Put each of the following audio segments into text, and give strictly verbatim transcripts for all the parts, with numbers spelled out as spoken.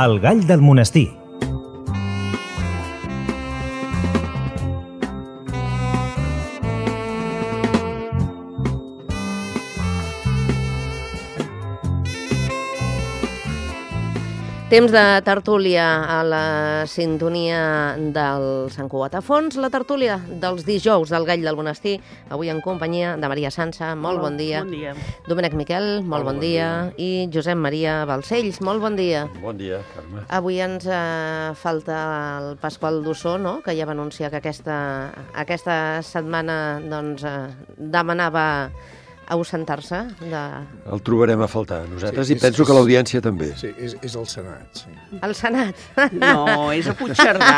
El gall del monestir. Temps de tertúlia a la sintonia del Sant Cugat a fons, la tertúlia dels dijous del Gall del Monestir, avui en companyia de Maria Sança, molt Hola, bon dia. Bon dia. Domènec Miquel, molt Hola, bon bon dia. dia. I Josep Maria Balcells, molt bon dia. Bon dia, Carme. Avui ens eh, falta el Pasqual Dussó, no?, que ja va anunciar que aquesta, aquesta setmana doncs, eh, demanava ausentar-se de... El trobarem a faltar, nosaltres, Sí, i és- penso és- que l'audiència també. Sí, és, és el Senat, sí. al Senat. No, és a Puigcerdà,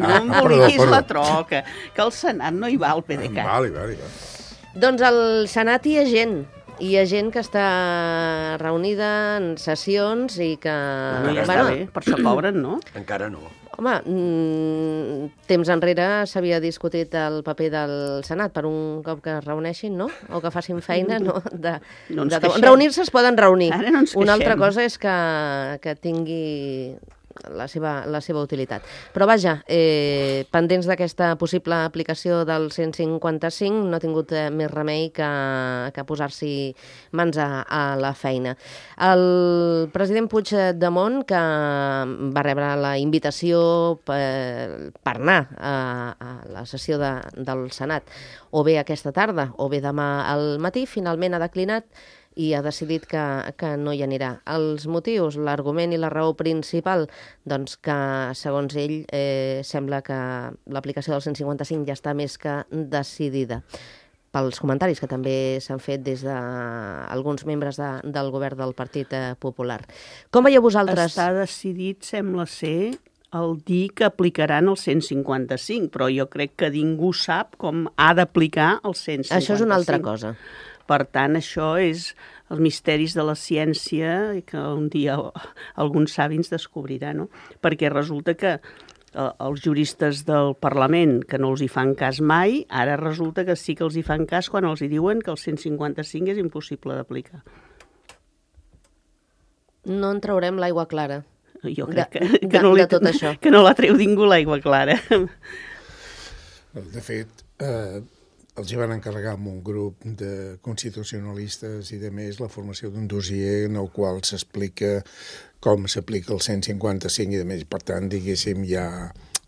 no Ah, emboliquis perdó, perdó. la troca, que al Senat no hi va el P D C A T. Vale, vale, vale. Doncs al Senat hi ha gent, hi ha gent que està reunida en sessions i que... No, ja està bé, per això cobren, no? Encara no. Home, mm, temps enrere s'havia discutit el paper del Senat per un cop que es reuneixin, no? O que facin feina, no? De, No ens de, queixem. reunir-se es poden reunir. Ara no ens Una altra queixem. cosa és que, que tingui la seva, la seva utilitat. Però vaja, eh, pendents d'aquesta possible aplicació del cent cinquanta-cinc, no ha tingut eh, més remei que, que posar-s'hi mans a, a la feina. El president Puigdemont, que va rebre la invitació per, per anar a, a la sessió de, del Senat, o bé aquesta tarda o bé demà al matí, finalment ha declinat i ha decidit que, que no hi anirà. Els motius, l'argument i la raó principal, doncs que, segons ell, eh, sembla que l'aplicació del cent cinquanta-cinc ja està més que decidida. Pels comentaris que també s'han fet des d'alguns membres de, del govern del Partit eh, Popular. Com veieu vosaltres? Està decidit, sembla ser, el dir que aplicaran el cent cinquanta-cinc, però jo crec que ningú sap com ha d'aplicar el cent cinquanta-cinc. Això és una altra cosa. Per tant, això és els misteris de la ciència i que un dia alguns savis descobriran, no? Perquè resulta que eh, els juristes del Parlament, que no els hi fan cas mai, ara resulta que sí que els hi fan cas quan els hi diuen que el cent cinquanta-cinc és impossible d'aplicar. No en traurem l'aigua clara. Jo De- crec que, de- que, no, li, de tot això. que no la treu ningú l'aigua clara. De fet, eh, els hi van encarregar amb un grup de constitucionalistes i de més la formació d'un dossier en el qual s'explica com s'aplica el cent cinquanta-cinc i de més. Per tant, diguéssim, ja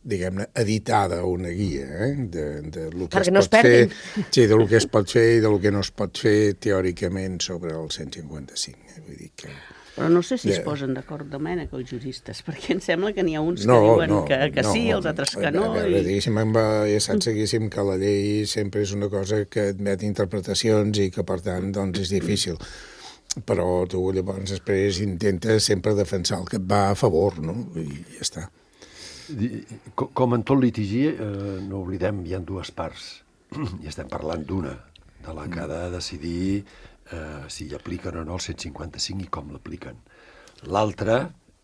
diguem-ne, editada una guia eh? de, de lo que Perquè es no es pot fer, perdin. sí, de lo que es pot fer i de lo que no es pot fer teòricament sobre el cent cinquanta-cinc. Eh? Vull dir que... Però no sé si es Ja. posen d'acord, Domènec, els juristes, perquè em sembla que n'hi ha uns que No, diuen no, que, que no. sí, els altres que no. A veure, I... diguéssim, amb, ja saps, diguéssim, que la llei sempre és una cosa que admet interpretacions i que, per tant, doncs és difícil. Però tu llavors després intentes sempre defensar el que et va a favor, no? I ja està. Di- co- Com en tot litigi, eh, no oblidem, hi ha dues parts. I estem parlant d'una, de la que ha de decidir eh, si apliquen o no el cent cinquanta-cinc i com l'apliquen. L'altra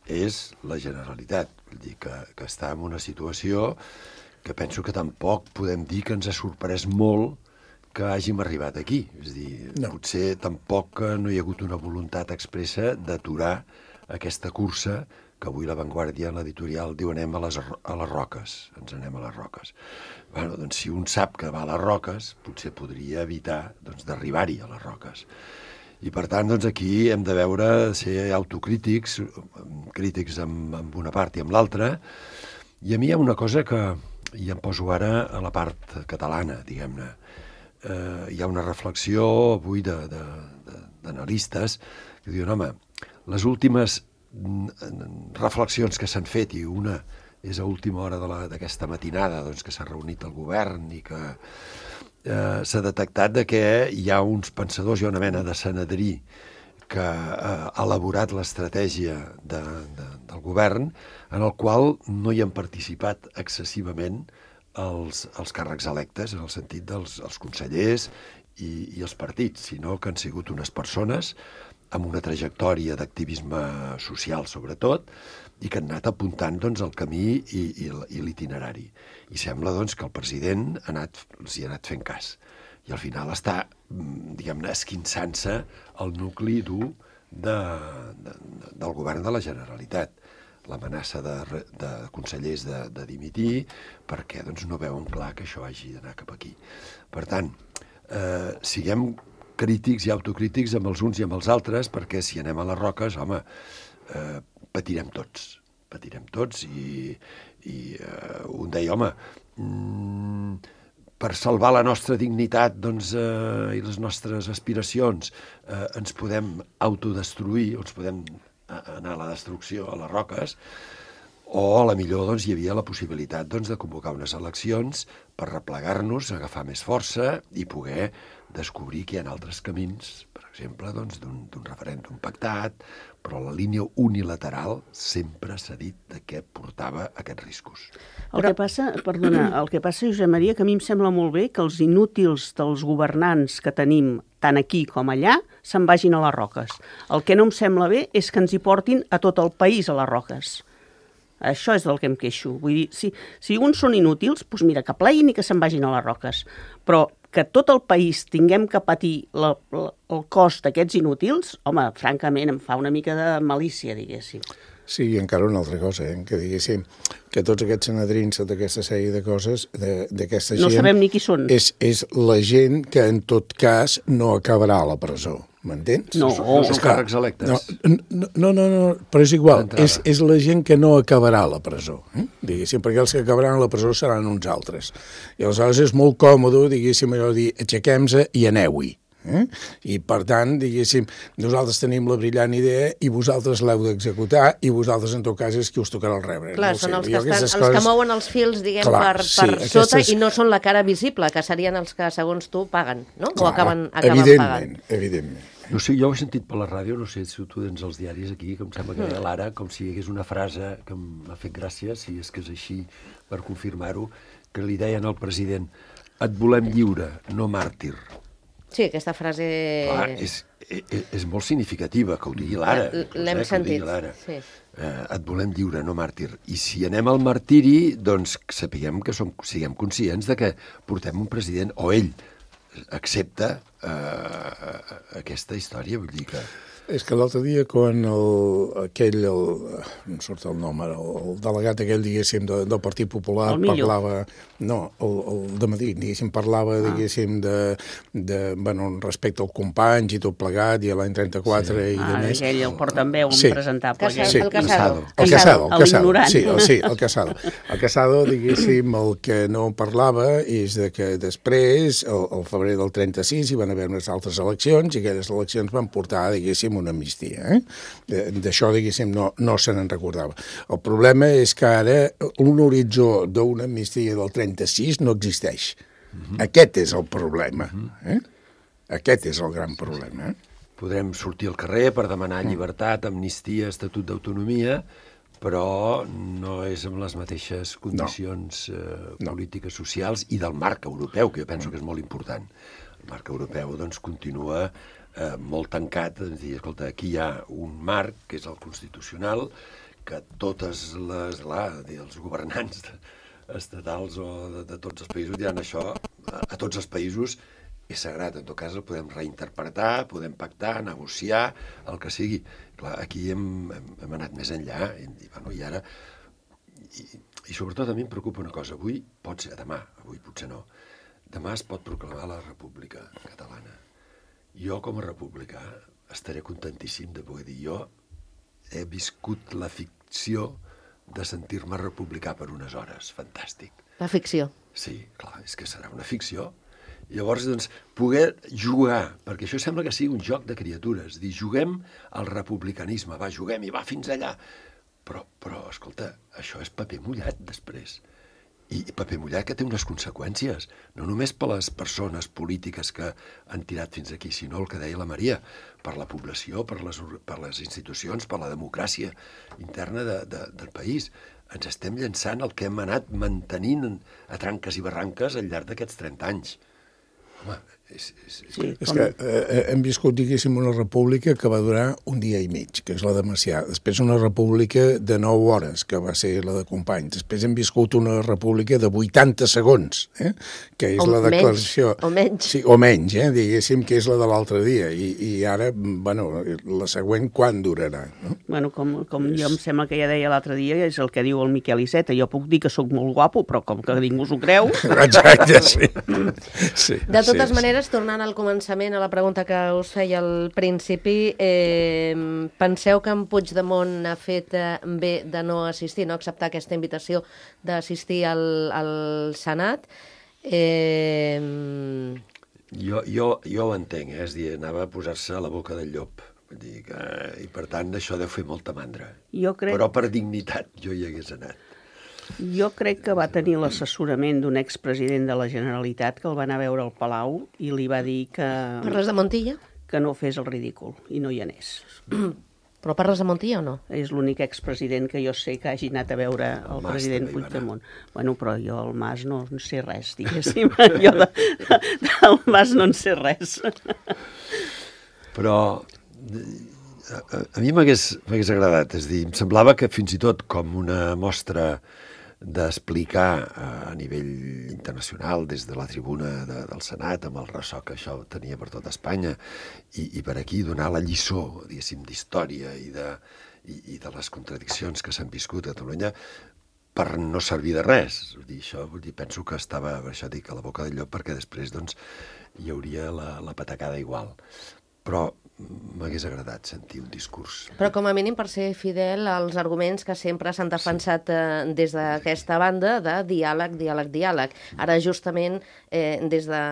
és la Generalitat, vull dir que, que està en una situació que penso que tampoc podem dir que ens ha sorprès molt que hàgim arribat aquí. És a dir, No. potser tampoc eh, no hi ha hagut una voluntat expressa d'aturar aquesta cursa que avui La Vanguardia en l'editorial diu anem a les, a les roques, ens anem a les roques. Bueno, doncs si un sap que va a les roques, potser podria evitar doncs, d'arribar-hi a les roques. I per tant, doncs aquí hem de veure, ser autocrítics, crítics amb, amb una part i amb l'altra, i a mi hi ha una cosa que, i em poso ara a la part catalana, diguem-ne, eh, hi ha una reflexió avui de, de, de, d'analistes que diuen, home, les últimes reflexions que s'han fet, i una és a última hora de la, d'aquesta matinada doncs, que s'ha reunit el govern i que eh, s'ha detectat de que hi ha uns pensadors, hi ha una mena de senadrí que eh, ha elaborat l'estratègia de, de, del govern en el qual no hi han participat excessivament els, els càrrecs electes, en el sentit dels els consellers i, i els partits, sinó que han sigut unes persones amb una trajectòria d'activisme social, sobretot, i que han anat apuntant doncs, el camí i, i, i l'itinerari. I sembla doncs, que el president ha anat, els hi ha anat fent cas. I al final està, diguem-ne, esquinçant-se el nucli dur de, de, de, del govern de la Generalitat. l'amenaça de, de consellers de, de dimitir, perquè doncs, no veuen clar que això hagi d'anar cap aquí. Per tant, eh, siguem crítics i autocrítics amb els uns i amb els altres, perquè si anem a les roques, home, eh, patirem tots, patirem tots, i, i eh, un deia, home, mm, per salvar la nostra dignitat doncs, eh, i les nostres aspiracions eh, ens podem autodestruir, o ens podem anar a la destrucció, a les roques, o a la millor doncs, hi havia la possibilitat doncs, de convocar unes eleccions per replegar-nos, agafar més força i poder descobrir que hi ha altres camins, per exemple, doncs, d'un referèndum pactat, però la línia unilateral sempre s'ha dit de què portava aquests riscos. El que passa, perdona, el que passa, Josep Maria, que a mi em sembla molt bé que els inútils dels governants que tenim tant aquí com allà se'n vagin a les roques. El que no em sembla bé és que ens hi portin a tot el país a les roques. Això és del que em queixo. Vull dir, si, si uns són inútils, doncs mira, que pleguin i que se'n vagin a les roques. Però que tot el país tinguem que patir la, la, el cost d'aquests inútils, home, francament, em fa una mica de malícia, diguéssim. Sí, i encara una altra cosa, eh? Que diguéssim que tots aquests senadrins d'aquesta sèrie de coses, d'aquesta gent... No sabem ni qui són. És, és la gent que, en tot cas, no acabarà a la presó. M'entens? No, no són càrrecs electes. No, no, no, no, però és igual. És, és la gent que no acabarà a la presó. Eh? Diguéssim, perquè els que acabaran a la presó seran uns altres. I aleshores és molt còmode, diguéssim, allò de dir, aixequem-se i aneu-hi. Eh? I per tant, diguéssim, nosaltres tenim la brillant idea i vosaltres l'heu d'executar i vosaltres en tot cas és qui us tocarà el rebre. Clar, no són sé, els, que estan, els coses... que mouen els fils, diguem, Clar, per, sí, per aquestes... sota i no són la cara visible, que serien els que, segons tu, paguen, no? Clar, o acaben, acaben evidentment, pagant. Evidentment. No sé, jo ho he sentit per la ràdio, no sé si tu tens els diaris aquí, que em sembla que deia l'Ara, com si hi hagués una frase que m'ha fet gràcia, si és que és així, per confirmar-ho, que li deien al president, et volem lliure, no màrtir. Sí, aquesta frase... Clar, és, és, és molt significativa, que ho digui l'Ara. L'hem sentit, sí. Eh, et volem lliure, no màrtir. I si anem al martiri, doncs sapiguem que som, siguem conscients de que portem un president, o ell accepta eh, aquesta història, vull dir que... És que l'altre dia, quan el, aquell, el, no em surt el nom ara, el, el delegat aquell, diguéssim, de, del Partit Popular, parlava... No, el, el de Madrid, diguéssim, parlava, ah. diguéssim, de, de, bueno, respecte al companys i tot plegat, i a l'any trenta-quatre sí. i ah, de més... Ah, aquell, el portaveu sí. impresentable. Casado, sí. El Casado. El Casado, el Casado. Sí, el, sí, el Casado. El Casado, diguéssim, el que no parlava és de que després, el, el febrer del trenta-sis, hi van haver unes altres eleccions, i aquelles eleccions van portar, diguéssim, una amnistia. Eh? D'això, diguéssim, no, no se n'en recordava. El problema és que ara un horitzó d'una amnistia del trenta-sis no existeix. Uh-huh. Aquest és el problema. Eh? Aquest és el gran problema. Eh? Podrem sortir al carrer per demanar llibertat, amnistia, estatut d'autonomia, però no és amb les mateixes condicions no. eh, polítiques, socials i del marc europeu, que jo penso que és molt important. El marc europeu doncs, continua Eh, molt tancat, és dir, escolta, aquí hi ha un marc, que és el constitucional, que totes les, clar, els governants estatals o de, de tots els països diran això, a, a tots els països és sagrat, en tot cas el podem reinterpretar, podem pactar, negociar, el que sigui. Clar, aquí hem, hem, hem anat més enllà, i, bueno, i ara, i, i sobretot a mi em preocupa una cosa, avui pot ser, demà, avui potser no, demà es pot proclamar la República Catalana. Jo, com a republicà, estaré contentíssim de poder dir jo he viscut la ficció de sentir-me republicà per unes hores. Fantàstic. La ficció. Sí, clar, és que serà una ficció. Llavors, doncs, poder jugar, perquè això sembla que sigui un joc de criatures, dir, juguem al republicanisme, va, juguem i va fins allà. Però, però, escolta, això és paper mullat després. I paper mullat que té unes conseqüències, no només per les persones polítiques que han tirat fins aquí, sinó el que deia la Maria, per la població, per les, per les institucions, per la democràcia interna de, de, del país. Ens estem llançant el que hem anat mantenint a tranques i barranques al llarg d'aquests trenta anys. Home, És, és, és... Sí, És com... que eh, hem viscut, diguéssim, una república que va durar un dia i mig, que és la de Macià. Després una república de nou hores, que va ser la de Companys. Després hem viscut una república de vuitanta segons, eh? que és o la declaració... Menys, o menys. Sí, o menys, eh? diguéssim, que és la de l'altre dia. I, I ara, bueno, la següent quan durarà? No? Bueno, com, com jo em sembla que ja deia l'altre dia, és el que diu el Miquel Iceta. Jo puc dir que sóc molt guapo, però com que ningú s'ho creu... Exacte, sí. sí. De totes sí, maneres, tornant al començament, a la pregunta que us feia al principi, eh, penseu que en Puigdemont ha fet eh, bé de no assistir, no acceptar aquesta invitació d'assistir al, al Senat? Eh... Jo, jo, jo ho entenc, eh? És dir, anava a posar-se a la boca del llop. Vull dir que, i per tant, això deu fer molta mandra. Jo crec... Però per dignitat jo hi hagués anat. Jo crec que va tenir l'assessorament d'un expresident de la Generalitat que el va anar a veure al Palau i li va dir que... Parles de Montilla? Que no fes el ridícul, i no hi anés. Però parles de Montilla o no? És l'únic expresident que jo sé que hagi anat a veure el, el president Puigdemont. Bueno, però jo al Mas no en sé res, diguéssim. Jo de, de, del Mas no en sé res. Però a, a mi m'hagués agradat, és dir, em semblava que fins i tot com una mostra d'explicar a nivell internacional des de la tribuna de, del Senat amb el ressò que això tenia per tot Espanya i, i per aquí donar la lliçó, diguéssim, d'història i, de, i, i de les contradiccions que s'han viscut a Catalunya per no servir de res. Vull dir, això, vull dir, penso que estava, per això dic, a la boca del llop, perquè després doncs, hi hauria la, la patacada igual. Però m'hagués agradat sentir un discurs. Però com a mínim per ser fidel als arguments que sempre s'han defensat eh, des d'aquesta banda de diàleg, diàleg, diàleg. Ara justament eh, des de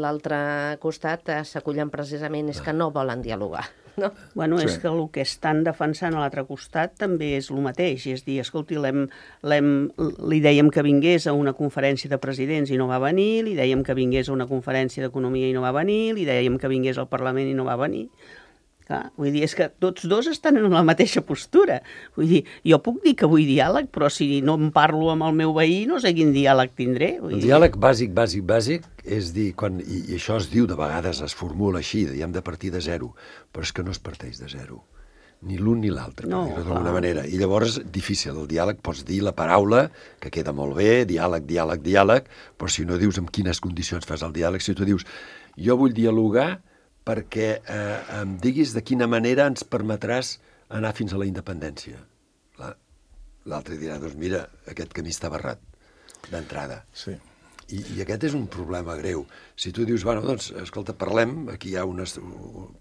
l'altre costat eh, s'acullen precisament és que no volen dialogar. No? Bueno, Sí. és que el que estan defensant a l'altre costat també és el mateix. És dir, escolti, l'hem, l'hem, li dèiem que vingués a una conferència de presidents i no va venir, li dèiem que vingués a una conferència d'economia i no va venir, li dèiem que vingués al Parlament i no va venir. Clar, vull dir, és que tots dos estan en la mateixa postura. Vull dir, jo puc dir que vull diàleg, però si no em parlo amb el meu veí, no sé quin diàleg tindré. Vull El dir... diàleg bàsic, bàsic, bàsic, és dir, quan, i, i això es diu de vegades, es formula així, de, hem de partir de zero, però és que no es parteix de zero, ni l'un ni l'altre, No, per dir-ho d'alguna clar. manera. I llavors, difícil, el diàleg, pots dir la paraula, que queda molt bé, diàleg, diàleg, diàleg, però si no dius en quines condicions fas el diàleg, si tu dius, jo vull dialogar perquè eh, em diguis de quina manera ens permetràs anar fins a la independència. L'altre dirà, doncs mira, aquest camí està barrat, d'entrada. Sí. I, I aquest és un problema greu. Si tu dius, bueno, doncs, escolta, parlem, aquí hi ha unes...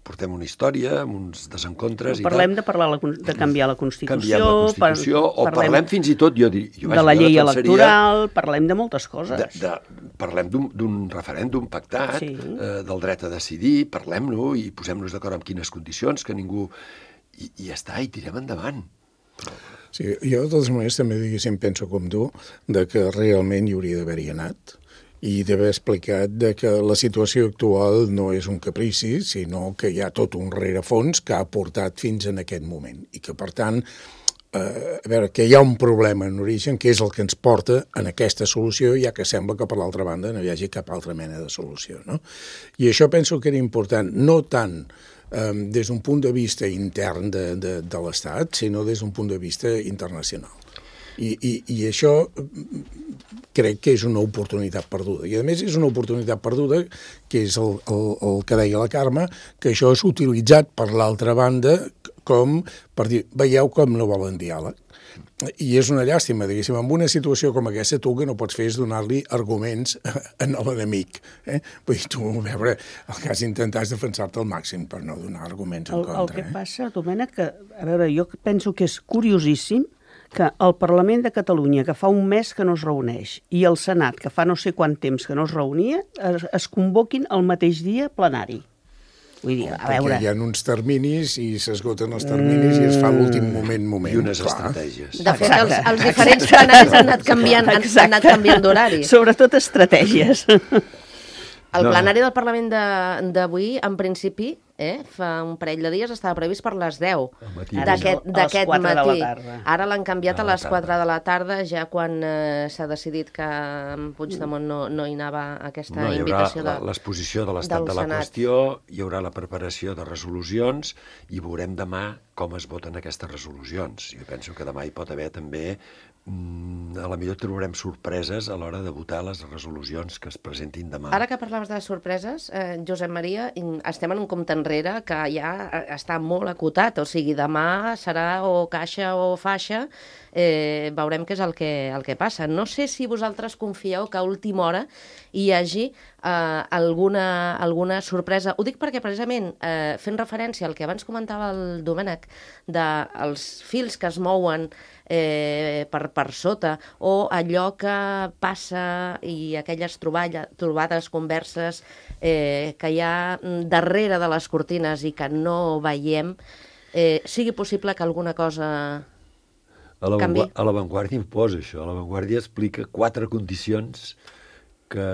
portem una història, amb uns desencontres i Parlem tal. de, parlar la, de canviar la Constitució, Canviem la Constitució, par, o parlem, parlem fins i tot, jo diria... Jo, de la llei electoral, parlem de moltes coses. De, de, parlem d'un referèndum pactat, Sí. eh, del dret a decidir, parlem-lo i posem-nos d'acord en quines condicions, que ningú... I, i ja està, i tirem endavant. Sí, jo de totes maneres també diguéssim penso com tu de que realment hi hauria d'haver-hi anat i d'haver explicat de que la situació actual no és un caprici, sinó que hi ha tot un rerefons que ha portat fins en aquest moment i que, per tant, eh, a veure, que hi ha un problema en origen que és el que ens porta en aquesta solució, ja que sembla que per l'altra banda no hi hagi cap altra mena de solució, no? I això penso que era important, no tant Um, des d'un punt de vista intern de, de, de l'Estat, sinó des d'un punt de vista internacional. I, i, i això crec que és una oportunitat perduda. I a més és una oportunitat perduda, que és el, el, el que deia la Carme, que això és utilitzat per l'altra banda com per dir, veieu com no volen diàleg. I és una llàstima, diguéssim, en una situació com aquesta tu que no pots fer és donar-li arguments a l'enemic. Eh? Vull dir, tu, a veure, el que has d'intentar és defensar-te al màxim per no donar arguments en El, contra. el que eh? passa, Domènec, que, a veure, jo penso que és curiosíssim que el Parlament de Catalunya, que fa un mes que no es reuneix, i el Senat, que fa no sé quant temps que no es reunia, es, es convoquin el mateix dia plenari. Vull dir, a Perquè veure... hi ha uns terminis i s'esgoten els terminis i es fa l'últim moment, moment. I unes clar. estratègies. De fet, els, Exacte. els diferents plenaris han anat canviant, han, han anat canviant d'horari. Sobretot estratègies. El No. plenari del Parlament de- d'avui, en principi, eh? Fa un parell de dies estava previst per les deu matí. d'aquest A les d'aquest quatre de la matí. tarda. Ara l'han canviat A a la les tarda. quatre de la tarda, ja quan eh, s'ha decidit que en Puigdemont no, no hi anava a aquesta No, hi haurà invitació de... la- l'exposició de l'estat del de la Senat. qüestió, hi haurà la preparació de resolucions i veurem demà com es voten aquestes resolucions. Jo penso que demà hi pot haver també, mm, a la millor trobarem sorpreses a l'hora de votar les resolucions que es presentin demà. Ara que parlaves de les sorpreses, eh, Josep Maria, in- estem en un compte enrere que ja eh, està molt acotat, o sigui, demà serà o caixa o faixa, eh, veurem què és el que, el que passa. No sé si vosaltres confieu que a última hora hi hagi eh, alguna, alguna sorpresa. Ho dic perquè, precisament, eh, fent referència al que abans comentava el Domènec, dels fils que es mouen eh, per, per sota, o allò que passa i aquelles troballa, trobades, converses eh, que hi ha darrere de les cortines i que no veiem, eh, sigui possible que alguna cosa... A la, canvi. a la Vanguardia imposa això. A la Vanguardia explica quatre condicions que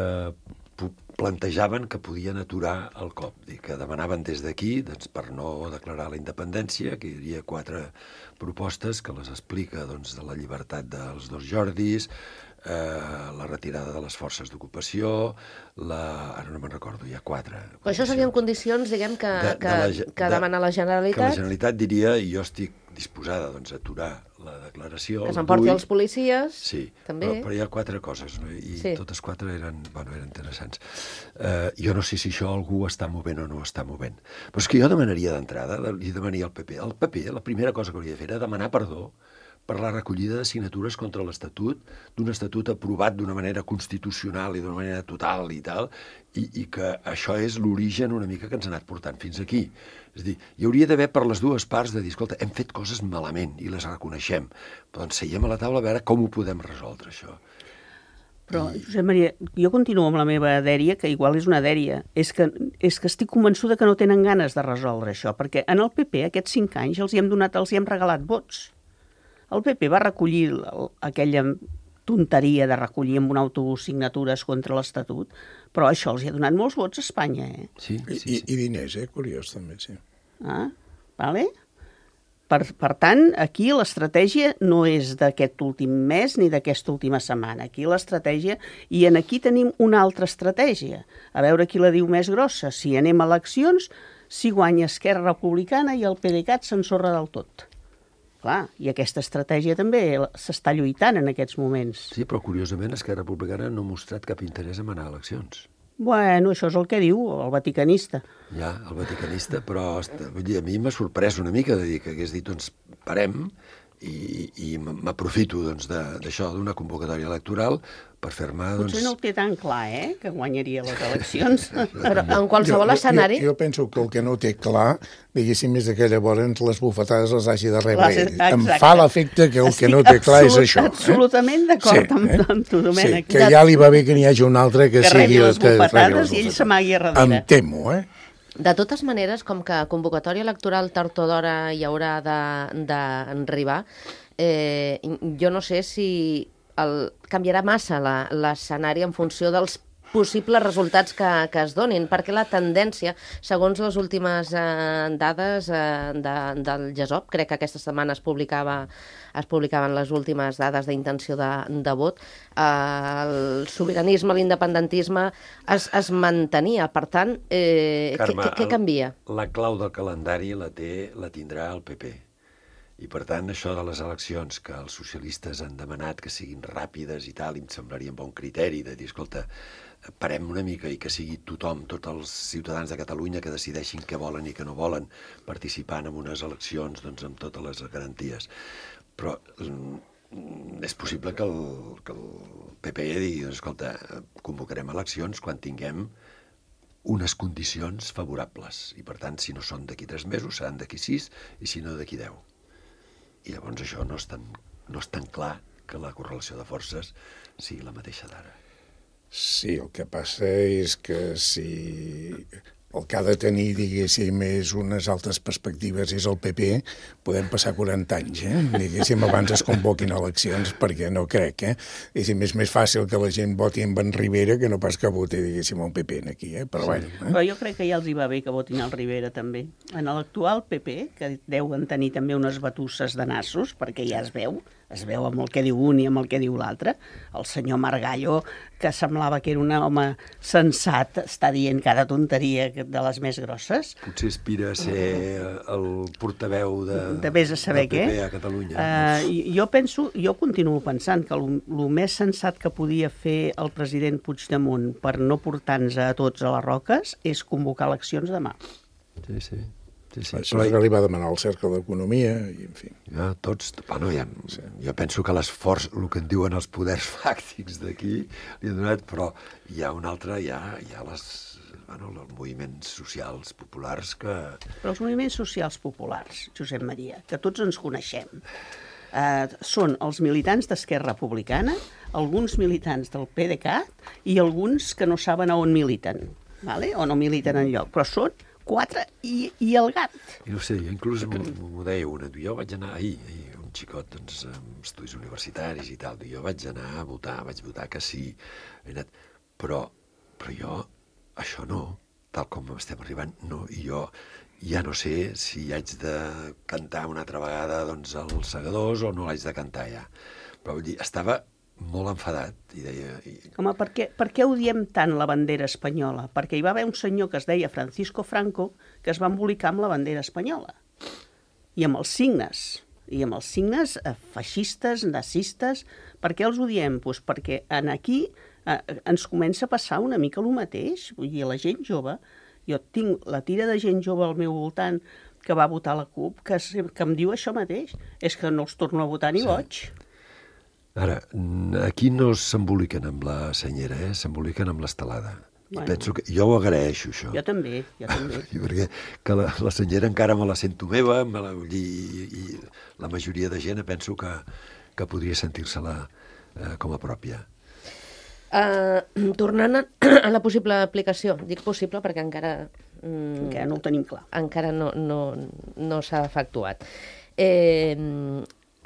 pu- plantejaven que podien aturar el cop, i que demanaven des d'aquí, doncs, per no declarar la independència, que hi havia quatre propostes que les explica, doncs, de la llibertat dels dos Jordis, eh, la retirada de les forces d'ocupació, la... ara no me'n recordo, hi ha quatre. Però això serien condicions, diguem, que, De- de que, la ge- que de- demana la Que la Generalitat, Generalitat diria, i jo estic disposada, doncs, a aturar la declaració. que el s'emporti vull. els policies, Sí, també. però, però hi ha quatre coses, no? I Sí. totes quatre eren, bueno, eren interessants. Uh, jo no sé si això algú està movent o no està movent. Però és que jo demanaria d'entrada, li demanaria al P P. El P P, la primera cosa que hauria de fer era demanar perdó per la recollida de signatures contra l'Estatut, d'un Estatut aprovat d'una manera constitucional i d'una manera total i tal, i, i que això és l'origen una mica que ens ha anat portant fins aquí. És a dir, hi hauria d'haver per les dues parts de dir, escolta, hem fet coses malament i les reconeixem, però doncs seiem a la taula a veure com ho podem resoldre, això. Però, Josep Maria, jo continuo amb la meva dèria, que igual és una dèria. És que, és que estic convençuda que no tenen ganes de resoldre això, perquè en el P P aquests cinc anys els hi hem donat, els hi hem regalat vots. El P P va recollir el, aquella tonteria de recollir amb un autobús signatures contra l'Estatut, però això els hi ha donat molts vots a Espanya, eh? Sí, I, sí, i, sí. i diners, eh? Curiós, també, sí. Ah, vale? Per, per tant, aquí l'estratègia no és d'aquest últim mes ni d'aquesta última setmana. Aquí l'estratègia... I en aquí tenim una altra estratègia. A veure qui la diu més grossa. Si anem a eleccions, si guanya Esquerra Republicana i el PDeCAT s'ensorra del tot. Clar, i aquesta estratègia també s'està lluitant en aquests moments. Sí, però curiosament Esquerra Republicana no ha mostrat cap interès en anar a eleccions. Bueno, això és el que diu el vaticanista. Ja, el vaticanista, però est- vull dir, a mi m'ha sorprès una mica de dir que hagués dit, doncs, parem, i, i m'aprofito doncs, de- d'això, d'una convocatòria electoral, per fer-me... Doncs... Potser no ho té tan clar, eh?, que guanyaria les eleccions. Però en qualsevol escenari... Jo, jo penso que el que no té clar, diguéssim, és que llavors les bufetades les hagi de rebre Les- ell. Em exacte. fa l'efecte que el que Estic no té clar és absolut- això. absolutament d'acord amb- amb tu, Domènec. Sí, que ja li va bé que n'hi hagi un altre que, Que sigui... rebi les que rebi bufetades les i ell bufetades. s'amagui a darrere. Em temo, eh? De totes maneres, com que convocatòria electoral tard o d'hora hi haurà d'arribar, eh, jo no sé si el, canviarà massa la- l'escenari en funció dels possibles resultats que, que es donin, perquè la tendència, segons les últimes eh, dades eh, de, del GESOP, crec que aquesta setmana es publicava es publicaven les últimes dades d'intenció de, de vot, eh, el sobiranisme, l'independentisme es, es mantenia. Per tant, eh, Carme, què, què, què el- canvia? La clau del calendari la, té, la tindrà el P P. I, per tant, això de les eleccions que els socialistes han demanat que siguin ràpides i tal, i em semblaria un bon criteri de dir, escolta, parem una mica i que sigui tothom, tots els ciutadans de Catalunya que decideixin què volen i què no volen, participant en unes eleccions doncs, amb totes les garanties. Però mm, és possible que el, que el P P digui, doncs, escolta, convocarem eleccions quan tinguem unes condicions favorables. I, per tant, si no són d'aquí tres mesos, seran d'aquí sis, i si no, d'aquí deu. I llavors això no és tan, no és tan clar que la correlació de forces sigui la mateixa d'ara. Sí, el que passa és que si el que ha de tenir, diguéssim, és unes altres perspectives, és el P P, podem passar quaranta anys, eh? Diguéssim, abans es convoquin eleccions, perquè no crec, eh? Diguéssim, és més fàcil que la gent voti en en Rivera que no pas que voti, diguéssim, un P P aquí, eh? Però, sí. Bueno, eh? Però jo crec que ja els hi va bé que votin el Rivera, també. En l'actual P P, que deuen tenir també unes batusses de nassos, perquè ja es veu, es veu amb el que diu un i amb el que diu l'altre. El senyor Margallo, que semblava que era un home sensat, està dient cada tonteria de les més grosses. Potser aspira a ser el portaveu de, de vés a saber del P P què. a Catalunya. Uh, jo penso, jo continuo pensant que el, el més sensat que podia fer el president Puigdemont per no portar-nos a tots a les roques és convocar eleccions demà. Sí, sí. Sí, sí. Això però... li va demanar el Cercle d'Economia, i en fi. Ja, tots, bueno, ja, sí. Jo penso que l'esforç, el que en diuen els poders fàctics d'aquí, li ha donat, però hi ha un altre, hi ha, hi ha les, bueno, els moviments socials populars que... Però els moviments socials populars, Josep Maria, que tots ens coneixem, eh, són els militants d'Esquerra Republicana, alguns militants del P D cat i alguns que no saben a on militen, vale? O no militen enlloc, però són quatre i, i el gat. I no sé, inclús m'ho deia una, jo vaig anar ahir, ahir un xicot doncs, amb estudis universitaris i tal, jo vaig anar a votar, vaig votar que sí, anat, però, però jo, això no, tal com estem arribant, no, i jo ja no sé si haig de cantar una altra vegada doncs, els segadors o no l'haig de cantar ja. Però vull dir, estava molt enfadat i deia... I... Home, per què, per què odiem tant la bandera espanyola? Perquè hi va haver un senyor que es deia Francisco Franco que es va embolicar amb la bandera espanyola i amb els signes, i amb els signes eh, feixistes, nazistes. Per què els odiem? Pues perquè en aquí eh, ens comença a passar una mica el mateix. Vull dir, la gent jove, jo tinc la tira de gent jove al meu voltant que va votar la CUP, que, que em diu això mateix, és que no els torno a votar ni sí. boig. Ara, aquí no s'emboliquen amb la senyera, eh? S'emboliquen amb l'estelada. Bueno. I penso que jo ho agraeixo, això. Jo també, jo també. I perquè que la, la senyera encara me la sento meva, me la, i, i la majoria de gent penso que, que podria sentir-se-la eh, com a pròpia. Uh, tornant a, a la possible aplicació, dic possible perquè encara... Mm, encara no ho tenim clar. Encara no, no, no s'ha efectuat. Eh...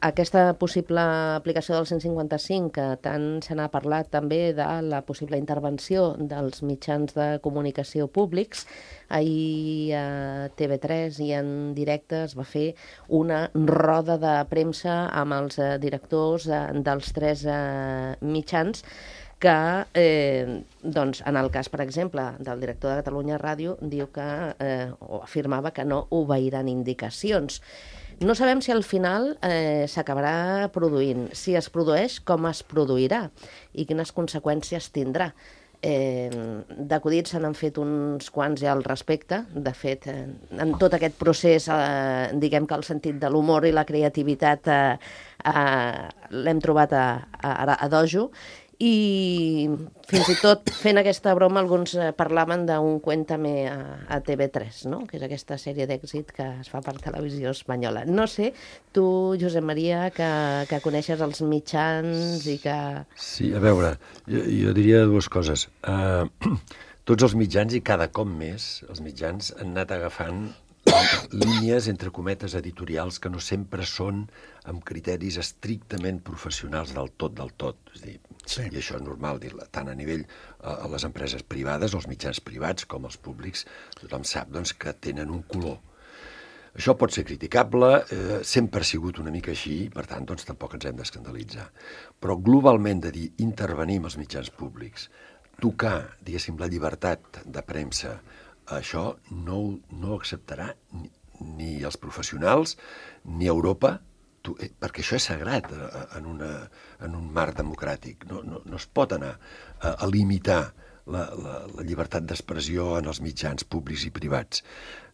Aquesta possible aplicació del cent cinquanta cinc, que tant se n'ha parlat també de la possible intervenció dels mitjans de comunicació públics, ahir a T V tres i en directe es va fer una roda de premsa amb els directors dels tres mitjans que, eh, doncs, en el cas, per exemple, del director de Catalunya Ràdio, diu que, eh, o afirmava que no obeiran indicacions. No sabem si al final eh, s'acabarà produint, si es produeix, com es produirà i quines conseqüències tindrà. Eh, d'acudits se n'han fet uns quants ja al respecte. De fet, eh, en tot aquest procés, eh, diguem que el sentit de l'humor i la creativitat eh, eh, l'hem trobat a, a, a dojo. I fins i tot fent aquesta broma alguns parlaven d'un Cuéntame a, a T V tres, no? Que és aquesta sèrie d'èxit que es fa per televisió espanyola. No sé, tu, Josep Maria, que, que coneixes els mitjans i que... Sí, a veure, jo, jo diria dues coses. Uh, tots els mitjans, i cada cop més, els mitjans han anat agafant línies, entre cometes, editorials que no sempre són amb criteris estrictament professionals del tot, del tot. És a dir, sí. I això és normal, dir-la, tant a nivell a les empreses privades, els mitjans privats, com els públics, tothom sap doncs, que tenen un color. Això pot ser criticable, eh, sempre ha sigut una mica així, per tant, doncs, tampoc ens hem d'escandalitzar. Però globalment de dir intervenir amb els mitjans públics, tocar, diguéssim, la llibertat de premsa, això no, no acceptarà ni, ni els professionals ni Europa, tu, eh, perquè això és sagrat eh, en, una, en un marc democràtic. No, no, no es pot anar a, a limitar la, la, la llibertat d'expressió en els mitjans públics i privats.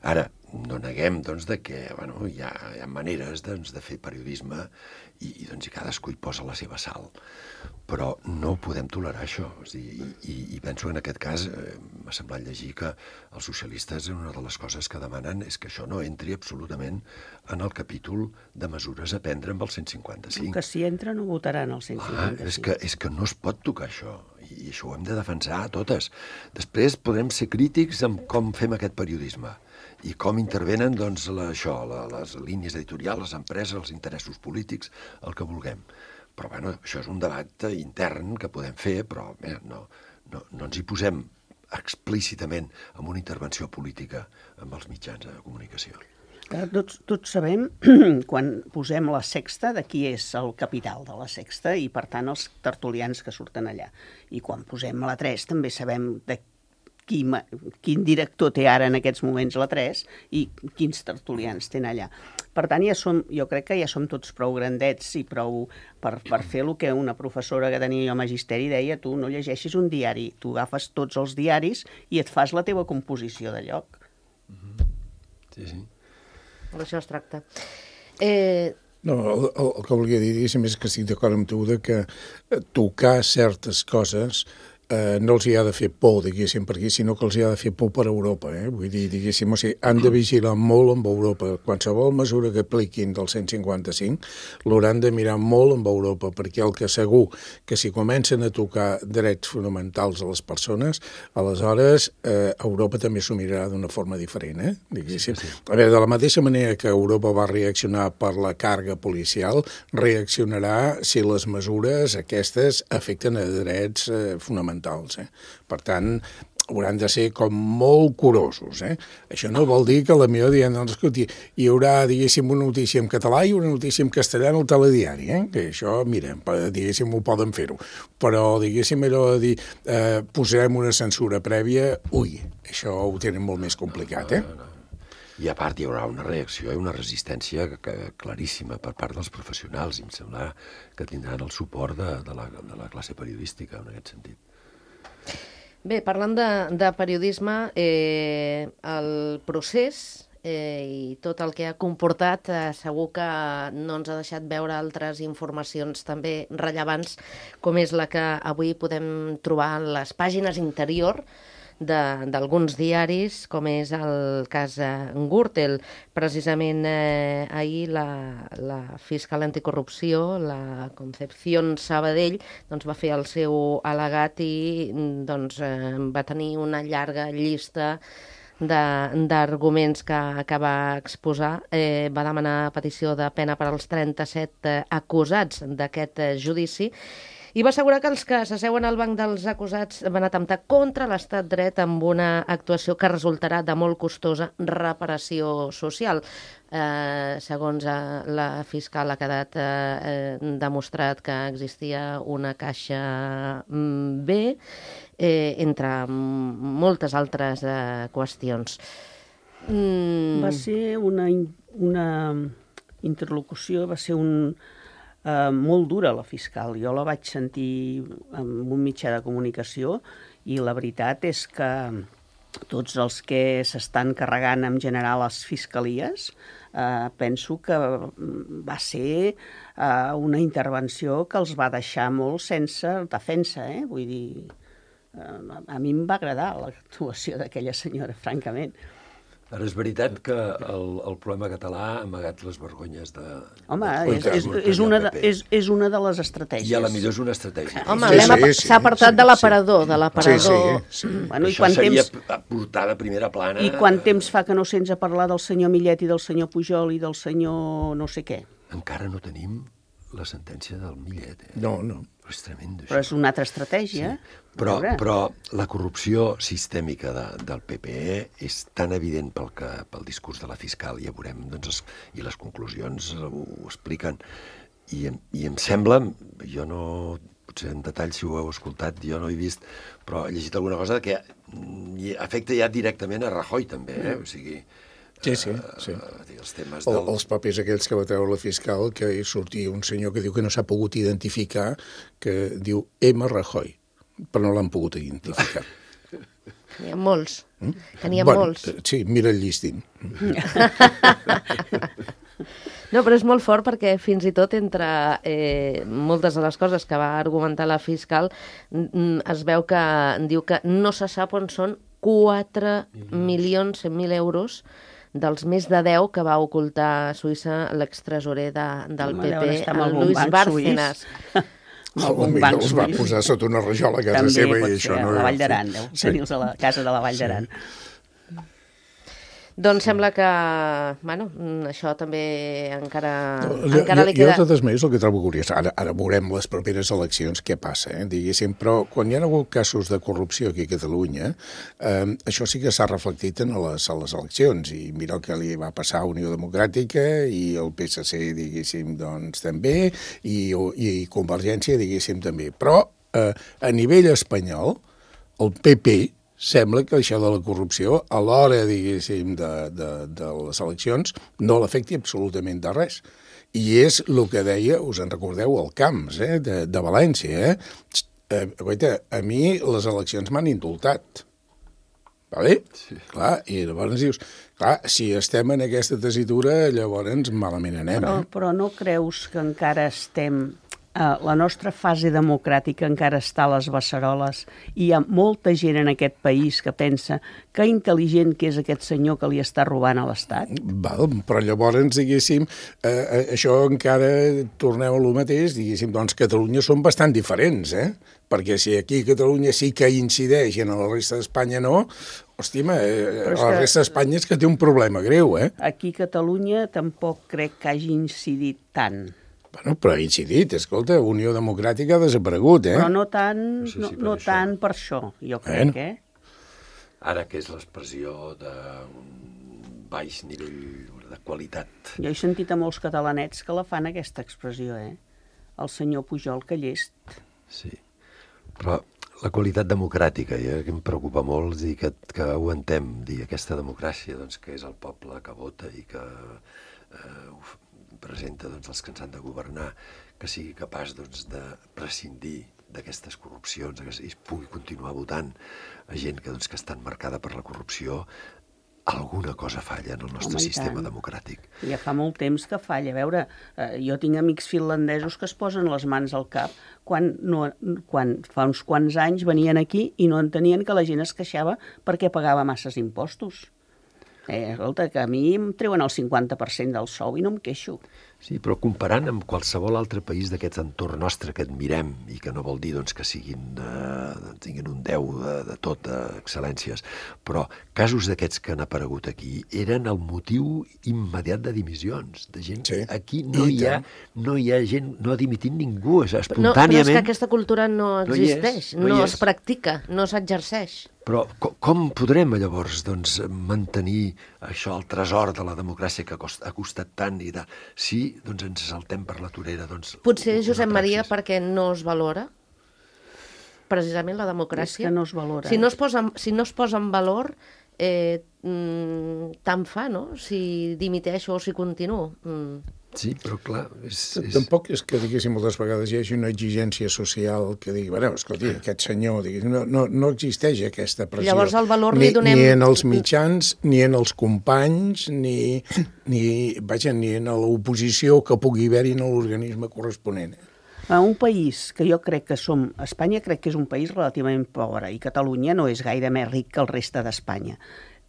Ara, no neguem doncs, de que bueno, hi, ha, hi ha maneres doncs, de fer periodisme i, i, doncs, i cadascú hi posa la seva sal. Però no podem tolerar això. És dir, i, i, I penso que en aquest cas eh, m'ha semblat llegir que els socialistes una de les coses que demanen és que això no entri absolutament en el capítol de mesures a prendre amb el cent cinquanta-cinc. Que si entra no votaran el cent cinquanta-cinc. Ah, és, que, és que no es pot tocar això. I, i això ho hem de defensar totes. Després podrem ser crítics amb com fem aquest periodisme i com intervenen, doncs, la, això, la, les línies editorials, les empreses, els interessos polítics, el que vulguem. Però, bueno, això és un debat intern que podem fer, però bé, no, no, no ens hi posem explícitament amb una intervenció política amb els mitjans de comunicació. Tots, tots sabem, quan posem la Sexta, de qui és el capital de la Sexta i, per tant, els tertulians que surten allà. I quan posem la tres també sabem de qui, quin director té ara en aquests moments la tres i quins tertulians tenen allà. Per tant, ja som, jo crec que ja som tots prou grandets i prou per, per fer el que una professora que tenia jo a Magisteri deia: tu no llegeixis un diari, tu agafes tots els diaris i et fas la teva composició de lloc. Sí, sí. D'això es tracta. Eh... No, el, el, el que volia dir, diguéssim, és que estic d'acord amb tu de que tocar certes coses eh, no els hi ha de fer por, diguéssim, per aquí, sinó que els hi ha de fer por per Europa. Eh? Vull dir, diguéssim, o sigui, han de vigilar molt amb Europa. Qualsevol mesura que apliquin del cent cinquanta-cinc l'hauran de mirar molt amb Europa, perquè el que segur que si comencen a tocar drets fonamentals a les persones, aleshores eh, Europa també s'ho mirarà d'una forma diferent. Eh? Diguéssim. Sí, sí. A veure, de la mateixa manera que Europa va reaccionar per la càrrega policial, reaccionarà si les mesures aquestes afecten a drets eh, fonamentals. Eh? Per tant, hauran de ser com molt curosos. Eh? Això no vol dir que la millor dient, doncs, escolti, hi haurà, diguéssim, una notícia en català i una notícia en castellà en el telediari, eh? Que això, mira, diguéssim, ho poden fer-ho. Però, diguéssim, allò de dir, eh, posarem una censura prèvia, ui, això ho tenen molt més complicat, eh? No, no, no. I a part hi haurà una reacció i una resistència que, que, claríssima per part dels professionals, i em sembla que tindran el suport de, de, la, de la classe periodística en aquest sentit. Bé, parlant de, de periodisme, eh, el procés eh, i tot el que ha comportat eh, segur que no ens ha deixat veure altres informacions també rellevants, com és la que avui podem trobar en les pàgines interior d'alguns diaris, com és el cas eh, Gürtel. Precisament eh, ahir la, la fiscal anticorrupció, la Concepción Sabadell, doncs, va fer el seu al·legat i doncs, eh, va tenir una llarga llista d'arguments que, que va exposar. Eh, va demanar petició de pena per als trenta-set eh, acusats d'aquest eh, judici i va assegurar que els que s'asseuen al banc dels acusats van atemptar contra l'estat dret amb una actuació que resultarà de molt costosa reparació social. Eh, segons eh, la fiscal ha quedat eh, demostrat que existia una caixa B, eh, entre moltes altres eh, qüestions. Mm. Va ser una, una interlocució, va ser un... Uh, molt dura la fiscal. Jo la vaig sentir en un mitjà de comunicació i la veritat és que tots els que s'estan carregant en general les fiscalies uh, penso que va ser uh, una intervenció que els va deixar molt sense defensa. Eh? Vull dir, uh, a mi em va agradar l'actuació d'aquella senyora, francament. Ara és veritat que el, el problema català ha amagat les vergonyes de... Home, és, és, és, una de, és, és una de les estratègies. I a la millor és una estratègia. Home, sí, sí, sí, s'ha apartat sí, de l'aparador, sí. de l'aparador. Sí, sí, sí. Bueno, això seria temps... portar de primera plana... I quant temps fa que no sents a parlar del senyor Millet i del senyor Pujol i del senyor no sé què? Encara no tenim la sentència del Millet. Eh? No, no. Però és tremendo, això. Però és una altra estratègia. Sí. Però, però la corrupció sistèmica de, del P P E és tan evident pel, que, pel discurs de la fiscal, ja veurem, doncs, es, i les conclusions ho, ho expliquen. I, I em sembla, jo no, potser en detall si ho heu escoltat, jo no he vist, però he llegit alguna cosa que afecta ja directament a Rajoy també, eh? O sigui... Sí, sí, sí. Uh, els, temes del... del... els papers aquells que va treure la fiscal, que hi sortia un senyor que diu que no s'ha pogut identificar, que diu M. Rajoy, però no l'han pogut identificar. N'hi ha molts. Mm? Que n'hi ha bueno, molts. Sí, mira el llistín. No, però és molt fort perquè fins i tot entre eh, moltes de les coses que va argumentar la fiscal es veu que diu que no se sap on són quatre milions cent mil euros dels més de deu que va ocultar a Suïssa l'extresorer de, del P P, el Luis Bárcenas. algun Potser banc els va suís. posar sota una rajola a casa També seva pot i això ser, no... a la Vall d'Aran, deu Sí. tenir-los a la casa de la Vall d'Aran. Doncs sembla que, bueno, mm, això també encara, No, encara jo, li jo, queda... de totes maneres, el que trobo curiós, ara, ara veurem les properes eleccions què passa, eh, diguéssim, però quan hi ha hagut casos de corrupció aquí a Catalunya, eh, això sí que s'ha reflectit en les, a les eleccions, i mira el que li va passar a Unió Democràtica i el P S C, diguéssim, doncs també, i, i Convergència, diguéssim, també. Però eh, a nivell espanyol, el P P sembla que això de la corrupció, a l'hora, diguéssim, de, de, de les eleccions, no l'afecti absolutament de res. I és el que deia, us en recordeu, el Camps, eh, de, de València. Eh? Eh, guaita, a mi les eleccions m'han indultat. Vale? Sí. Clar, i llavors dius, clar, si estem en aquesta tessitura, llavors malament anem. Però, Eh? però no creus que encara estem... Uh, la nostra fase democràtica encara està a les beceroles i hi ha molta gent en aquest país que pensa que intel·ligent que és aquest senyor que li està robant a l'Estat? Val, però llavors, diguéssim, eh, això encara torneu a lo mateix, diguéssim, doncs Catalunya són bastant diferents, eh? Perquè si aquí a Catalunya sí que incideix i en la resta d'Espanya no, hòstima, eh, la que... resta d'Espanya és que té un problema greu, eh? Aquí a Catalunya tampoc crec que hagi incidit tant. Bueno, però ha incidit, escolta, Unió Democràtica ha desaparegut, eh? Però no tant, No sé si no, per no això. tant per això, jo crec, Bueno. eh? Ara que és l'expressió d'un baix nivell de qualitat. Jo he sentit a molts catalanets que la fan, aquesta expressió, eh? El senyor Pujol, que llest. Sí, però la qualitat democràtica, ja, que em preocupa molt, dir que, que aguantem, dir aquesta democràcia, doncs, que és el poble que vota i que eh, presenta doncs, els que ens han de governar, que sigui capaç doncs, de prescindir d'aquestes corrupcions, que es pugui continuar votant a gent que, doncs, que està marcada per la corrupció, alguna cosa falla en el nostre Home, i sistema tant. democràtic. Ja fa molt temps que falla. A veure, eh, jo tinc amics finlandesos que es posen les mans al cap quan, no, quan fa uns quants anys venien aquí i no entenien que la gent es queixava perquè pagava masses impostos. Eh, escolta, que a mi em treuen el cinquanta per cent del sou i no em queixo. Sí, però comparant amb qualsevol altre país d'aquest entorn nostre que admirem i que no vol dir doncs, que siguin, eh, tinguin un deu de, de tot, excel·lències, però casos d'aquests que han aparegut aquí eren el motiu immediat de dimissions, de gent Sí. que aquí no I hi, ha, tant. no hi ha gent, no ha dimitit ningú, és No, però espontàniament. és que aquesta cultura no No hi és, existeix, no hi no és. es practica, no s'exerceix. Però com, com podrem llavors doncs, mantenir això, el tresor de la democràcia que cost, ha costat tant i de, si doncs, ens saltem per la torera? Doncs, Potser, una Josep Maria, praxis. perquè no es valora precisament la democràcia. És que no es valora. Si no es posa, en- si no es posa en valor, eh, mm, tant fa, no? Si dimiteixo o si continuo. Mm. Sí, però clar... És, és... Tampoc és que, diguéssim, moltes vegades hi hagi una exigència social que digui, bueno, escolti, aquest senyor, diguéssim, no, no, no existeix aquesta pressió. Llavors, el valor ni, li donem- Ni en els mitjans, ni en els companys, ni, ni, vaja, ni en l'oposició que pugui haver-hi en l'organisme corresponent. A un país que jo crec que som... Espanya crec que és un país relativament pobre i Catalunya no és gaire més ric que el reste d'Espanya.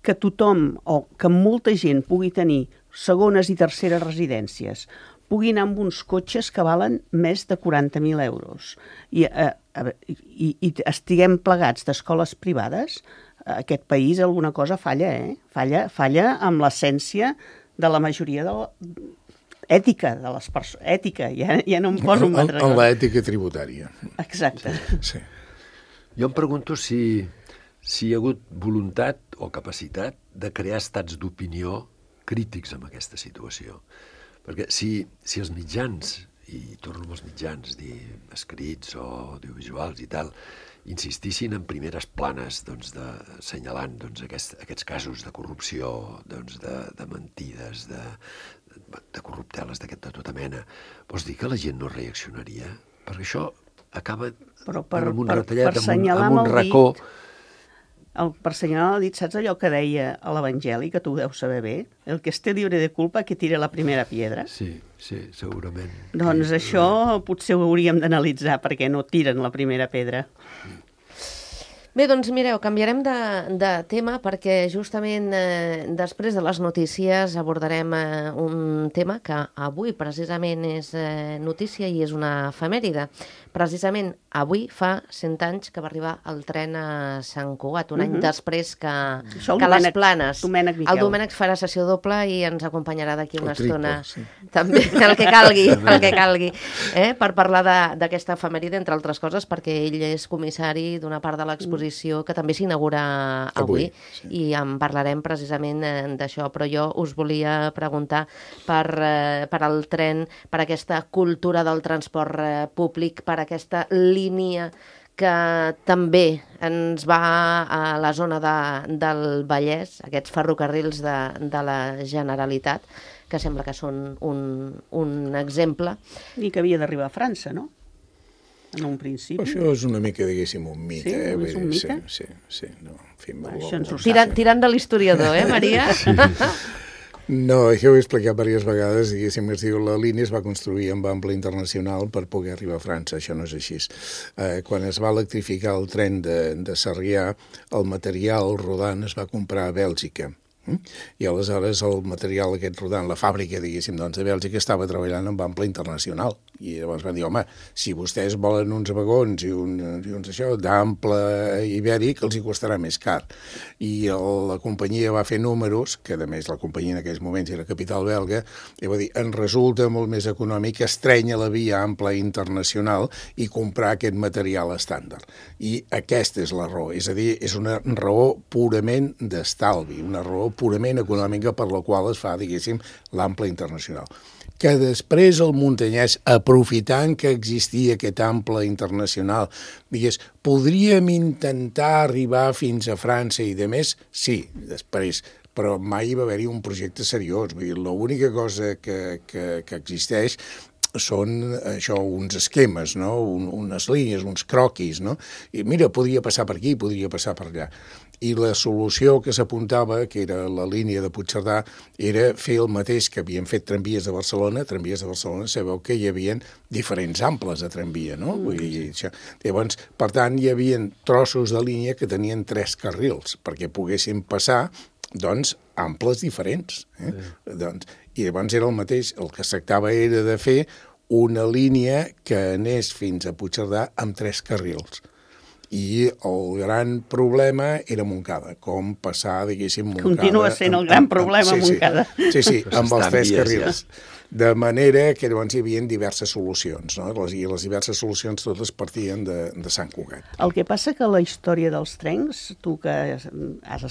Que tothom, o que molta gent pugui tenir segones i terceres residències, pugui anar amb uns cotxes que valen més de quaranta mil euros i, eh, a veure, i, i estiguem plegats d'escoles privades, aquest país alguna cosa falla, eh? Falla, falla amb l'essència de la majoria de la... ètica de les persones. Ètica, ja, ja no em poso un En, altre en cosa. l'ètica tributària. Exacte. Sí. Jo em pregunto si, si hi ha hagut voluntat o capacitat de crear estats d'opinió crítics amb aquesta situació. Perquè si, si els mitjans, i torno amb els mitjans, dir, escrits o audiovisuals i tal, insistissin en primeres planes doncs, de, assenyalant doncs, aquest, aquests casos de corrupció, doncs, de, de mentides, de, de corrupteles d'aquest de tota mena, vols dir que la gent no reaccionaria? Perquè això acaba Però per- amb un per- retallat, per amb un, assenyalar amb un amb el racó. dit. El, per senyalar el dit, saps allò que deia a l'Evangeli, que tu ho deus saber bé? El que esté libre de culpa que tire la primera piedra. Sí, sí, segurament. Doncs Sí, això potser ho hauríem d'analitzar perquè no tiren la primera pedra. Bé, doncs mireu, canviarem de, de tema perquè justament eh, després de les notícies abordarem eh, un tema que avui precisament és eh, notícia i és una efemèride. Precisament avui fa cent anys que va arribar el tren a Sant Cugat, un any Mhm. després que, Això el que les Domènec- Planes. Domènec Miquel. El Domènec farà sessió doble i ens acompanyarà d'aquí una El triple, estona. sí. També, el que calgui, el que calgui, eh? per parlar de- d'aquesta efemèride, entre altres coses, perquè ell és comissari d'una part de l'exposició que també s'inaugura avui, Avui, sí. i en parlarem precisament eh, d'això, però jo us volia preguntar per, eh, per el tren, per aquesta cultura del transport eh, públic, per aquesta línia que també ens va a la zona de, del Vallès, aquests ferrocarrils de, de la Generalitat, que sembla que són un, un exemple. I que havia d'arribar a França, no? En un principi. Això és una mica, diguéssim, un mite. Sí? eh? És un Vull dir, mite? Sí, sí, sí. No, en fi, Va, molt- això ens ho molt- Tirant, tirant de l'historiador, eh, Maria? Sí. No, això ho he explicat diverses vegades, diguéssim, es diu, la línia es va construir amb ample internacional per poder arribar a França, això no és així. Eh, quan es va electrificar el tren de, de Sarrià, el material rodant es va comprar a Bèlgica. Mm? I aleshores el material aquest rodant, la fàbrica, diguéssim, doncs, de Bèlgica estava treballant amb ample internacional. I llavors van dir, home, si vostès volen uns vagons i, un, i uns això d'ample ibèric, els hi costarà més car. I el, la companyia va fer números, que a més la companyia en aquells moments era capital belga, i va dir, en resulta molt més econòmic estrènyer la via ample internacional i comprar aquest material estàndard. I aquesta és la raó, és a dir, és una raó purament d'estalvi, una raó purament econòmica per la qual es fa, diguéssim, l'ample internacional. Que després el muntanyès, aprofitant que existia aquest ample internacional, digués, podríem intentar arribar fins a França i de més? Sí, després, però mai va haver-hi un projecte seriós. Vull dir, l'única cosa que, que, que existeix són això, uns esquemes, no? Un, unes línies, uns croquis, no? I mira, podria passar per aquí, podria passar per allà. I la solució que s'apuntava, que era la línia de Puigcerdà, era fer el mateix que havien fet tramvies de Barcelona. Tramvies de Barcelona, sabeu que hi havia diferents amples de tramvia, no? Vull dir, això. Llavors, per tant, hi havia trossos de línia que tenien tres carrils, perquè poguessin passar, doncs, amples diferents. Eh? Sí. Doncs, i llavors era el mateix, el que es tractava era de fer una línia que anés fins a Puigcerdà amb tres carrils. I el gran problema era Montcada, com passar, diguéssim, Montcada... Continua sent el gran problema, sí, Montcada. Sí, sí, Però amb els s'estan tres vies, carrils. De manera que llavors hi havia diverses solucions, no? Les, i les diverses solucions totes partien de, de Sant Cugat. El que passa que la història dels trens, tu que has, has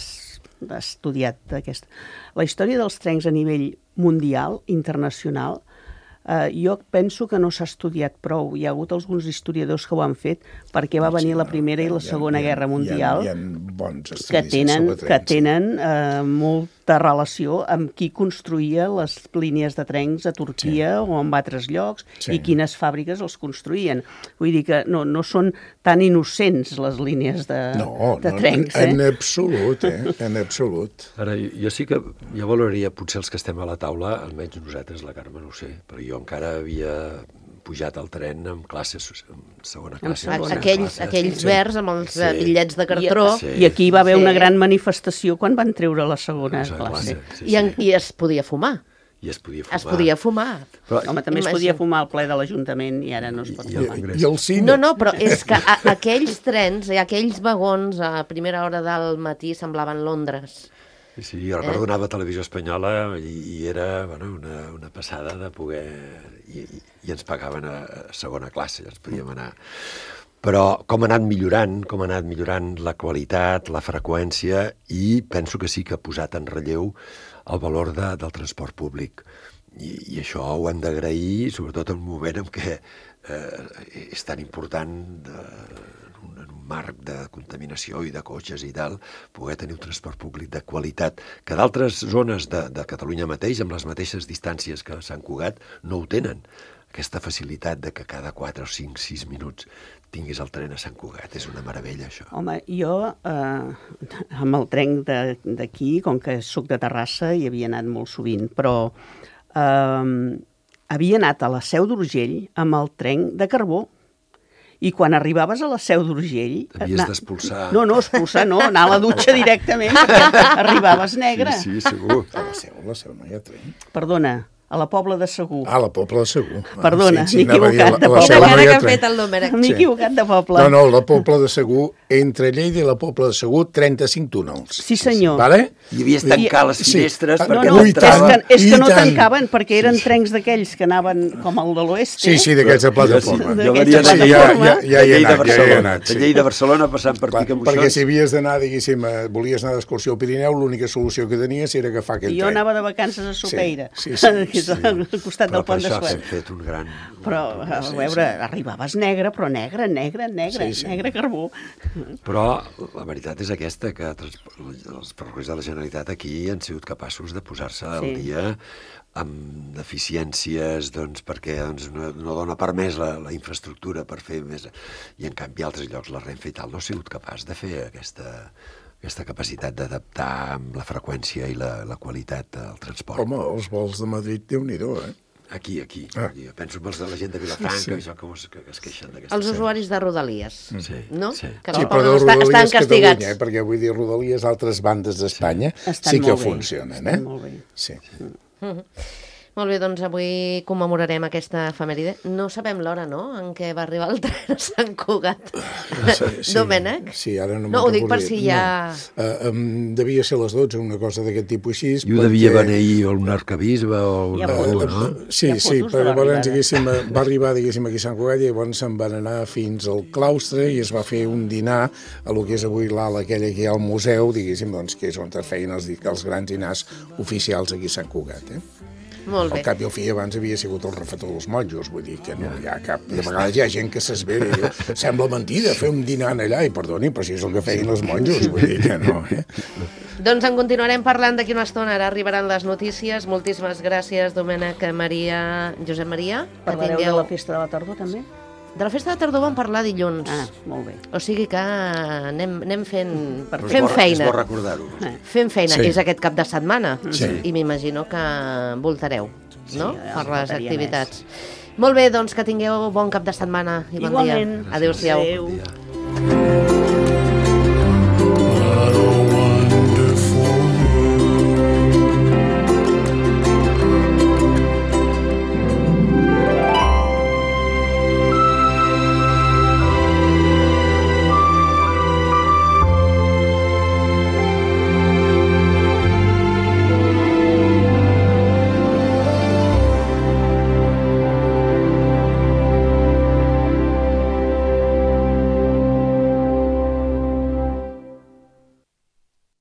estudiat aquesta, la història dels trens a nivell mundial, internacional, eh, jo penso que no s'ha estudiat prou. Hi ha hagut alguns historiadors que ho han fet perquè va venir la Primera i la Segona Guerra Mundial, Hi ha, hi ha bons estudis que tenen, sobre que trens. tenen eh, molta relació amb qui construïa les línies de trens a Turquia sí. o en altres llocs Sí. i quines fàbriques els construïen. Vull dir que no, no són tan innocents les línies de, No, de no, trens. en, en Eh? absolut, eh? En absolut. Ara, jo, jo sí que, jo valoraria potser els que estem a la taula, almenys nosaltres, la Carme no ho sé, però jo encara havia pujat al tren amb classes, amb segona classe. segona. tercera Aquells, classe. aquells sí. verds amb els Sí. sí. bitllets de I, cartró. Sí. I aquí hi va haver Sí. una gran manifestació quan van treure la segona Segona classe. classe, sí, I, en, sí. I es podia fumar. I es podia fumar. Es podia fumar. Però, Home, també es Imagina. podia fumar al ple de l'Ajuntament i ara no es pot I- i- fumar. I, I el cine. No, no, però és que a, aquells trens, i aquells vagons a primera hora del matí semblaven Londres. Sí, sí, jo recordo anar a Televisió Espanyola i, i era bueno, una, una passada de poder... I, i, i ens pagaven a, a segona classe, ens podíem anar... Però com ha anat millorant, com ha anat millorant la qualitat, la freqüència, i penso que sí que ha posat en relleu el valor de, del transport públic. I, i això ho hem d'agrair, sobretot en un moment en què eh, és tan important de, en, un, en un marc de contaminació i de cotxes i tal, poder tenir un transport públic de qualitat, que d'altres zones de, de Catalunya mateix, amb les mateixes distàncies que Sant Cugat, no ho tenen. Aquesta facilitat de que cada quatre o cinc, sis minuts tinguis el tren a Sant Cugat. És una meravella, això. Home, jo eh, amb el tren de- d'aquí, com que sóc de Terrassa, hi havia anat molt sovint, però eh, havia anat a la Seu d'Urgell amb el tren de carbó. I quan arribaves a la Seu d'Urgell... Havies na- d'expulsar. No, no, expulsar no, anar a la dutxa directament, perquè arribaves negre. Sí, sí, segur. A la seu, a la seu no hi ha tren. Perdona, a la Pobla de Segur. Ah, la Pobla de Segur. Perdona, sí, sí, m'he anava a dir equivocat de la- la Pobla. Quina segona cara que ha lletra. fet el Domènec. M'he equivocat de poble. No, no, la Pobla de Segur, entre Lleida i la Pobla de Segur, trenta-cinc túnels. Sí, senyor. Vale? Hi havia tancar les Sí. finestres No, No, perquè no, Ui, és tant, que, és i que no tant. tancaven perquè eren trencs d'aquells que anaven com el de l'oest. Sí, sí, d'aquests de plataforma. Sí, Jo d'aquesta venia de, Sí, ja, plataforma. ja, ja hi he de Lleida a anat, ja hi he Barcelona, anat. de Sí. Lleida a Barcelona passant per Clar, Picamoixons. perquè si havies d'anar, diguéssim, eh, volies anar d'excursió al Pirineu, l'única solució que tenies era agafar aquell Jo tren. anava de vacances a Sopeira, Sí, sí, sí, que és sí. al costat Però del per pont de això Suez. hem fet un gran... Però, a veure, arribaves negre, però negre, negre, negre, Sí, sí. negre carbó. Però la veritat és aquesta, que trans- els ferrocarrils de la Generalitat aquí han sigut capaços de posar-se al Sí. dia amb deficiències, doncs, perquè doncs, no, no dona permès la, la infraestructura per fer més... I en canvi altres llocs, la Renfe i tal, no ha sigut capaç de fer aquesta, aquesta capacitat d'adaptar amb la freqüència i la, la qualitat del transport. Home, els vols de Madrid, Déu-n'hi-do, eh? Aquí, aquí. Ah. Jo penso en els de la gent de Vilafranca, Sí. sí. això que, es, que es queixen d'aquesta... Els usuaris de Rodalies, Sí, no? sí. Que Sí, els però de poden estar, estan Rodalies castigats. Catalunya, eh? Perquè vull dir, Rodalies altres bandes d'Espanya Estan sí que molt bé, funcionen, eh? estan molt bé. Sí. Molt bé, doncs avui commemorarem aquesta efemèride. No sabem l'hora, no?, en què va arribar el tren a Sant Cugat. Sí, Domènec? Sí, ara no No, ho dic per si ja... No. Uh, um, devia ser a les dotze, una cosa d'aquest tipus així. I ho devia beneir un arcabisbe o Hi ha una... fotos. no? Sí, Hi ha sí, fotos de però llavors, l'arribada. diguéssim, va arribar, diguéssim, aquí a Sant Cugat i llavors se'n van anar fins al claustre i es va fer un dinar a lo que és avui l'ala aquella que hi ha al museu, diguéssim, doncs, que és on es feien els, els grans dinars oficials aquí a Sant Cugat, eh? Molt bé. Al cap i al fi abans havia sigut el refetor dels monjos, vull dir que no hi ha cap... De vegades hi ha gent que s'esvera i diu, sembla mentida fer un dinar allà, i perdoni, però si és el que feien els monjos, vull dir que no, eh? Doncs en continuarem parlant d'aquí una estona. Ara arribaran les notícies. Moltíssimes gràcies, Domènec, Maria, Josep Maria. que Parlareu de tingueu- la festa de la tardor, també? De la festa de tardor vam parlar dilluns. Ah, molt bé. O sigui que anem, anem fent, Però és fent bo- feina. És bo recordar-ho. Eh. Fent feina. Sí. És aquest cap de setmana. Sí. I m'imagino que voltareu, no?, ja per no les faltaria activitats. Molt bé, doncs que tingueu bon cap de setmana i bon Igualment. dia. Adéu-siau. Adéu.